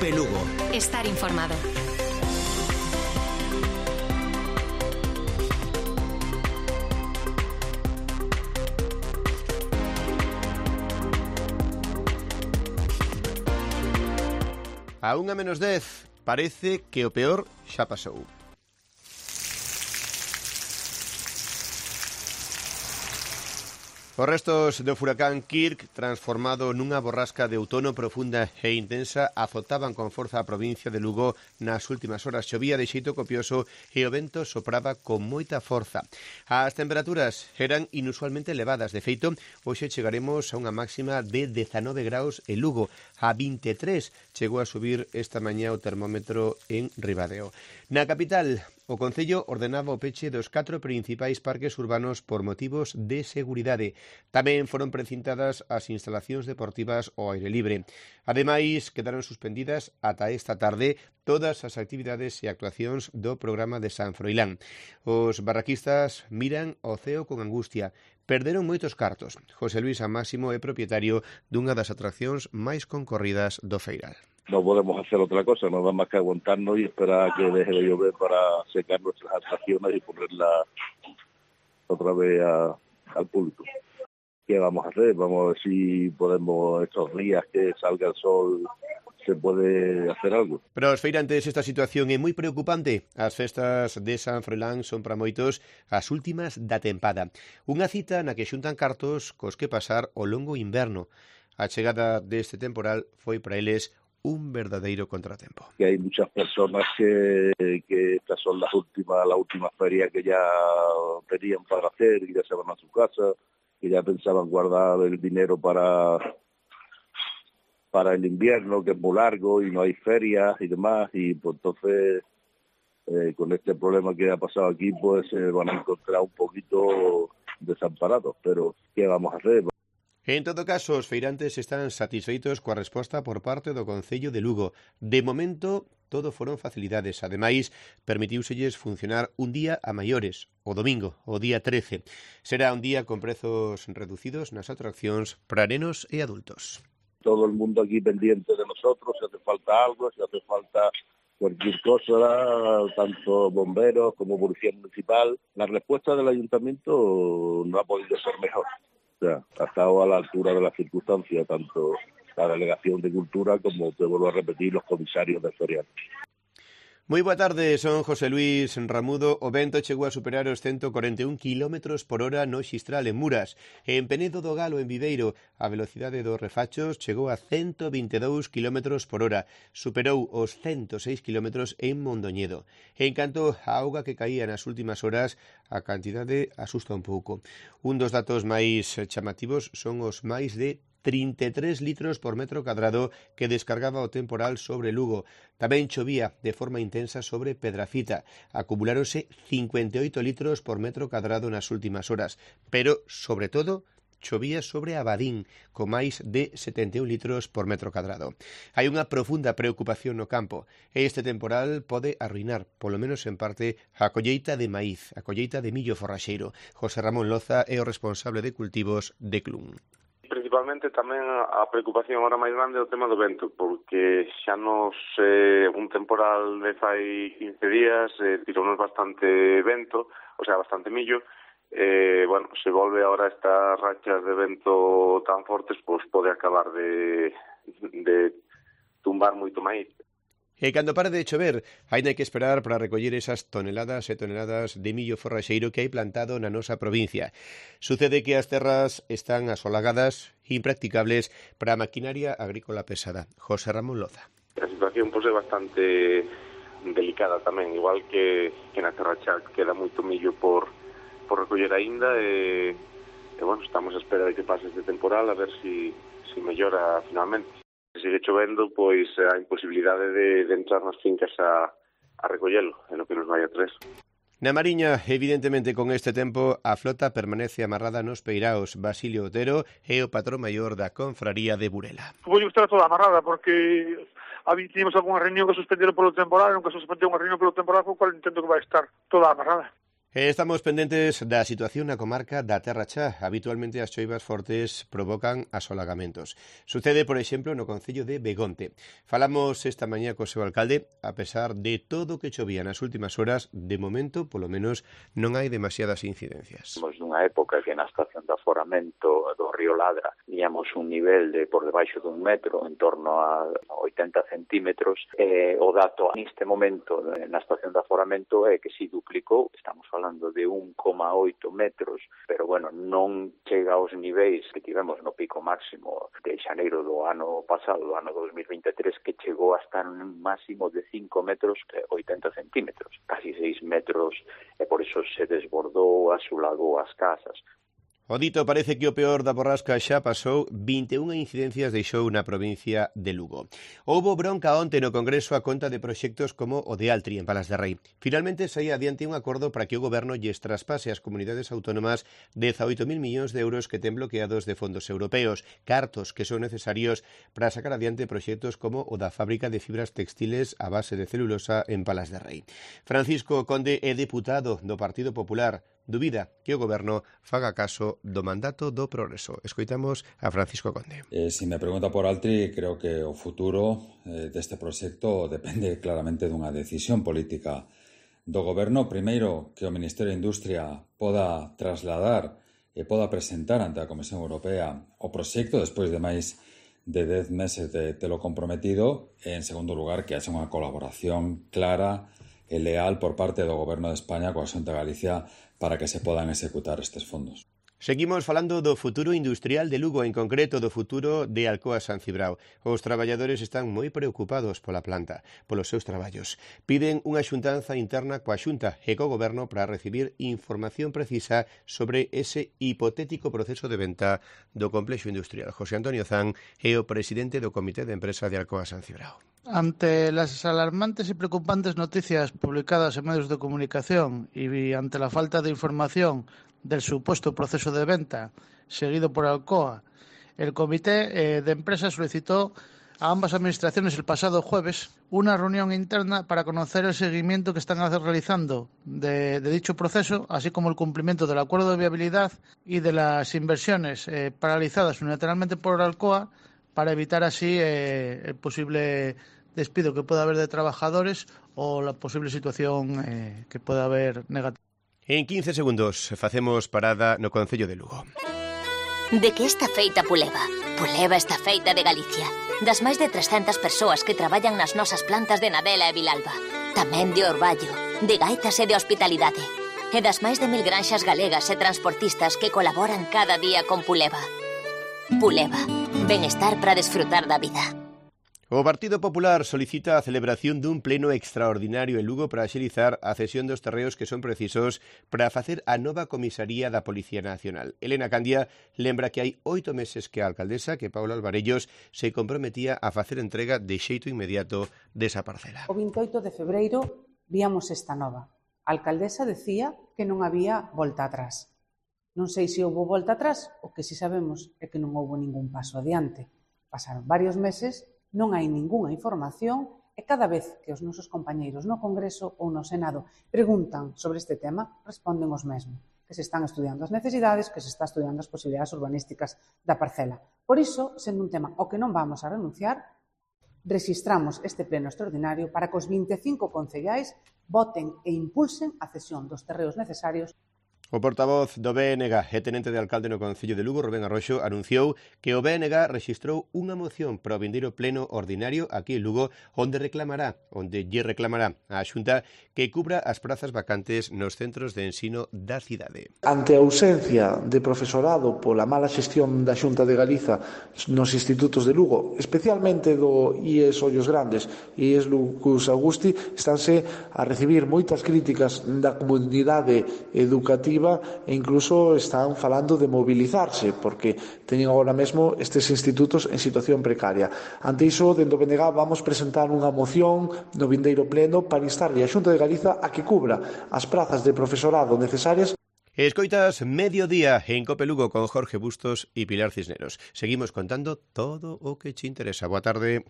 Cope Lugo. Estar informado. A 1:10, parece que o peor xa pasou. Os restos do furacán Kirk, transformado nunha borrasca de outono profunda e intensa, azotaban con forza a provincia de Lugo nas últimas horas. Chovía de xeito copioso e o vento sopraba con moita forza. As temperaturas eran inusualmente elevadas. De feito, hoxe chegaremos a unha máxima de 19 graus en Lugo. A 23 chegou a subir esta mañá o termómetro en Ribadeo. Na capital, o Concello ordenaba o peche dos 4 principais parques urbanos por motivos de seguridade. Tamén foron precintadas as instalacións deportivas ao aire libre. Ademais, quedaron suspendidas ata esta tarde todas as actividades e actuacións do programa de San Froilán. Os barraquistas miran ao ceo con angustia. Perderon moitos cartos. José Luis Máximo é propietario dunha das atraccións máis concorridas do Feiral. No podemos hacer otra cosa, no da más que aguantarnos y esperar a que deje de llover para secar nuestras atracciones y ponerlas otra vez al público. ¿Qué vamos a hacer? Vamos a ver si podemos estos días que salga el sol se puede hacer algo. Para os feirantes esta situación é moi preocupante. As festas de San Froilán son para moitos as últimas da tempada. Unha cita na que xuntan cartos cos que pasar o longo inverno. A chegada deste temporal foi para eles un verdadeiro contratempo. Que hay muchas personas que estas son la última feria que ya tenían para hacer y ya se van a su casa, que ya pensaban guardar el dinero para el invierno, que es muy largo y no hay ferias y demás, y pues entonces con este problema que ha pasado aquí pues se van a encontrar un poquito desamparados, pero ¿qué vamos a hacer? En todo caso, os feirantes están satisfeitos coa resposta por parte do Concello de Lugo. De momento, todo foron facilidades. Ademais, permitiuselles funcionar un día a maiores, o domingo, o día 13. Será un día con prezos reducidos nas atraccións para nenos e adultos. Todo el mundo aquí pendiente de nosotros, si hace falta algo, si hace falta cualquier cosa, tanto bomberos como policía municipal. La respuesta del ayuntamiento no ha podido ser mejor. O sea, ha estado a la altura de las circunstancias, tanto la Delegación de Cultura como, te vuelvo a repetir, los comisarios de ferial. Moi boa tarde, son José Luis Ramudo. O vento chegou a superar os 141 km por hora no Xistral en Muras. En Penedo do Galo, en Viveiro, a velocidade dos refachos chegou a 122 km por hora. Superou os 106 km en Mondoñedo. En canto a auga que caía nas últimas horas, a cantidade asusta un pouco. Un dos datos máis chamativos son os máis de 33 litros por metro cadrado que descargaba o temporal sobre Lugo. Tamén chovía de forma intensa sobre Pedrafita. Acumuláronse 58 litros por metro cadrado nas últimas horas. Pero, sobre todo, chovía sobre Abadín, con máis de 71 litros por metro cadrado. Hai unha profunda preocupación no campo. Este temporal pode arruinar, polo menos en parte, a colleita de maíz, a colleita de millo forraxeiro. José Ramón Loza é o responsable de cultivos de Clun. Principalmente tamén a preocupación agora máis grande é o tema do vento, porque xa nos un temporal de fai 15 días tirounos bastante vento, o sea, bastante millo. Bueno, se volve agora estas rachas de vento tan fortes, pois pode acabar de tumbar moito maíz. E cando pare de chover, aínda hai que esperar para recoller esas toneladas e toneladas de millo forraxeiro que hai plantado na nosa provincia. Sucede que as terras están asolagadas e impracticables para a maquinaria agrícola pesada. José Ramón Loza. A situación pois é bastante delicada tamén, igual que na terra xa queda moito millo por recoller aínda e bueno, estamos a espera de que pase este temporal a ver si mellora finalmente. Se sigue chovendo, pois a imposibilidade de entrar nas fincas a recollelo, en o que nos vai a tres. Na Mariña, evidentemente, con este tempo, a flota permanece amarrada nos peiraos. Basilio Otero é o patrón maior da confraría de Burela. Vou estar toda amarrada, porque tivemos algunha reunión que suspenderon polo temporal, nunca se suspendeu unha reunión polo temporal, co cual entendo que vai estar toda amarrada. Estamos pendentes da situación na comarca da Terra Chá. Habitualmente as choivas fortes provocan asolagamentos. Sucede, por exemplo, no concello de Begonte. Falamos esta mañá co seu alcalde. A pesar de todo o que chovía nas últimas horas, de momento, polo menos, non hai demasiadas incidencias. Estamos nunha época que na estación de aforamento do río Ladra teníamos un nivel de por debaixo dun metro, en torno a 80 centímetros. O dato neste momento na estación de aforamento é que si duplicou, estamos falando de 1,8 metros, pero bueno, non chega aos niveis que tivemos no pico máximo de xaneiro do ano pasado, do ano 2023, que chegou a estar un máximo de 5 metros 80 centímetros, casi 6 metros, e por iso se desbordou, asulagou as casas. O dito parece que o peor da borrasca xa pasou. 21 incidencias deixou na provincia de Lugo. Houbo bronca onte no Congreso a conta de proxectos como o de Altri en Palas de Rei. Finalmente saía adiante un acordo para que o Goberno lles traspase ás comunidades autónomas 18.000 millóns de euros que ten bloqueados de fondos europeos, cartos que son necesarios para sacar adiante proxectos como o da fábrica de fibras textiles a base de celulosa en Palas de Rei. Francisco Conde é deputado do Partido Popular. Dubida que o Goberno faga caso do mandato do progreso. Escoitamos a Francisco Conde. Se me pregunta por Altri, creo que o futuro deste proxecto depende claramente dunha decisión política do Goberno. Primeiro, que o Ministerio de Industria poda trasladar e poda presentar ante a Comisión Europea o proxecto despois de máis de 10 meses de telo comprometido. E, en segundo lugar, que haxa unha colaboración clara e leal por parte do Goberno de España coa Xunta de Galicia para que se podan executar estes fondos. Seguimos falando do futuro industrial de Lugo, en concreto do futuro de Alcoa San Cibrao. Os traballadores están moi preocupados pola planta, polos seus traballos. Piden unha xuntanza interna coa Xunta e co Goberno para recibir información precisa sobre ese hipotético proceso de venta do complexo industrial. José Antonio Zan é o presidente do Comité de Empresa de Alcoa San Cibrao. Ante las alarmantes y preocupantes noticias publicadas en medios de comunicación y ante la falta de información del supuesto proceso de venta seguido por Alcoa, el Comité de Empresa solicitó a ambas administraciones el pasado jueves una reunión interna para conocer el seguimiento que están realizando de dicho proceso, así como el cumplimiento del acuerdo de viabilidad y de las inversiones paralizadas unilateralmente por Alcoa, para evitar así el posible despido que pueda haber de trabajadores o la posible situación que pueda haber negativa. En 15 segundos facemos parada no concello de Lugo. De que está feita Puleva? Puleva está feita de Galicia. Das máis de 300 persoas que traballan nas nosas plantas de Nadela e Vilalba. Tamén de Orballo, de Gaitas e de Hospitalidade. E das máis de 1000 granxas galegas e transportistas que colaboran cada día con Puleva. Puleva, benestar para desfrutar da vida. O Partido Popular solicita a celebración dun pleno extraordinario en Lugo para axilizar a cesión dos terreos que son precisos para facer a nova comisaría da Policía Nacional. Elena Candia lembra que hai 8 meses que a alcaldesa, que Paula Alvarellos, se comprometía a facer entrega de xeito inmediato desa parcela. O 28 de febreiro víamos esta nova. A alcaldesa decía que non había volta atrás. Non sei se houve volta atrás, o que si sabemos é que non houve ningún paso adiante. Pasaron varios meses, non hai ningunha información e cada vez que os nosos compañeiros no Congreso ou no Senado preguntan sobre este tema, responden os mesmos, que se están estudiando as necesidades, que se está estudiando as posibilidades urbanísticas da parcela. Por iso, sendo un tema ao que non vamos a renunciar, rexistramos este pleno extraordinario para que os 25 concellais voten e impulsen a cesión dos terreos necesarios. O portavoz do BNG e tenente de alcalde no concello de Lugo, Rubén Arroxo, anunciou que o BNG rexistrou unha moción para o vindeiro pleno ordinario aquí en Lugo onde lle reclamará á Xunta que cubra as prazas vacantes nos centros de ensino da cidade. Ante a ausencia de profesorado pola mala xestión da Xunta de Galiza nos institutos de Lugo, especialmente do IES Ollos Grandes e IES Lucus Augusti, estánse a recibir moitas críticas da comunidade educativa e incluso están falando de mobilizarse porque teñen agora mesmo estes institutos en situación precaria. Ante iso, dentro do BNG vamos presentar unha moción no vindeiro pleno para instarle a Xunta de Galiza a que cubra as prazas de profesorado necesarias. Escoitas Mediodía en Cope Lugo con Jorge Bustos e Pilar Cisneros. Seguimos contando todo o que che interesa. Boa tarde.